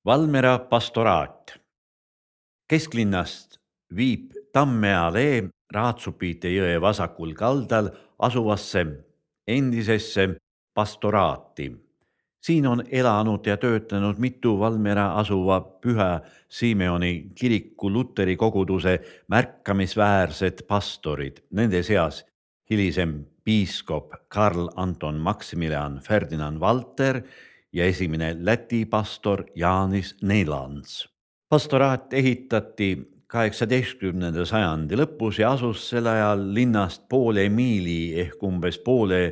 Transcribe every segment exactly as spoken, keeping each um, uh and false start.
Valmiera pastoraat. Kesklinnast viib Tamme allee Raatsupite jõe vasakul kaldal asuvasse endisesse pastoraati. Siin on elanud ja töötanud mitu Valmiera asuva Pühä Simeoni kiriku luteri koguduse märkamisväärsed pastorid, nende seas hilisem piiskop Karl Anton Maximilian Ferdinand Valter ja esimene Läti pastor Jaanis Neilants. Pastoraat ehitati kaheksateistkümnenda sajandi lõpus ja asus sel ajal linnast poole miili ehk umbes poole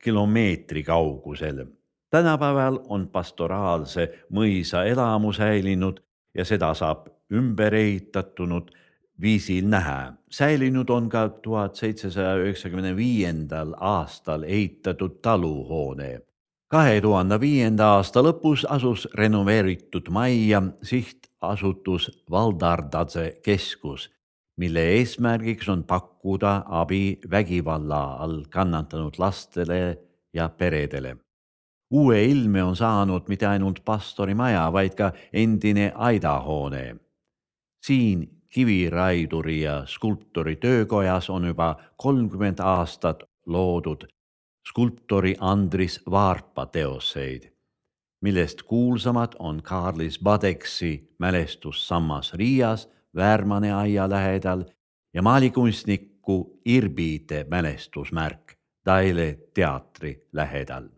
kilomeetri kaugusel. Tänapäeval on pastoraalse mõisa elamu säilinud ja seda saab ümber ehitatunud viisil näha. Säilinud on ka tuhat seitsesaja üheksakümne viiendal aastal ehitatud taluhoone. kahe tuhande viienda aasta lõpus asus renoveeritud majja sihtasutus Valdardase keskus, mille eesmärgiks on pakkuda abi vägivalla all kannatanud lastele ja peredele. Uue ilme on saanud mitte ainult pastori maja, vaid ka endine aidahoone. Siin kiviraiduri ja skulptori töökojas on juba kolmkümmend aastat loodud skulptori Andris Vaarpa teoseid, millest kuulsamad on Kaarlis Badeksi mälestussammas Riias Väärmane aia lähedal ja maalikunstniku Irbiide mälestusmärk Daile teatri lähedal.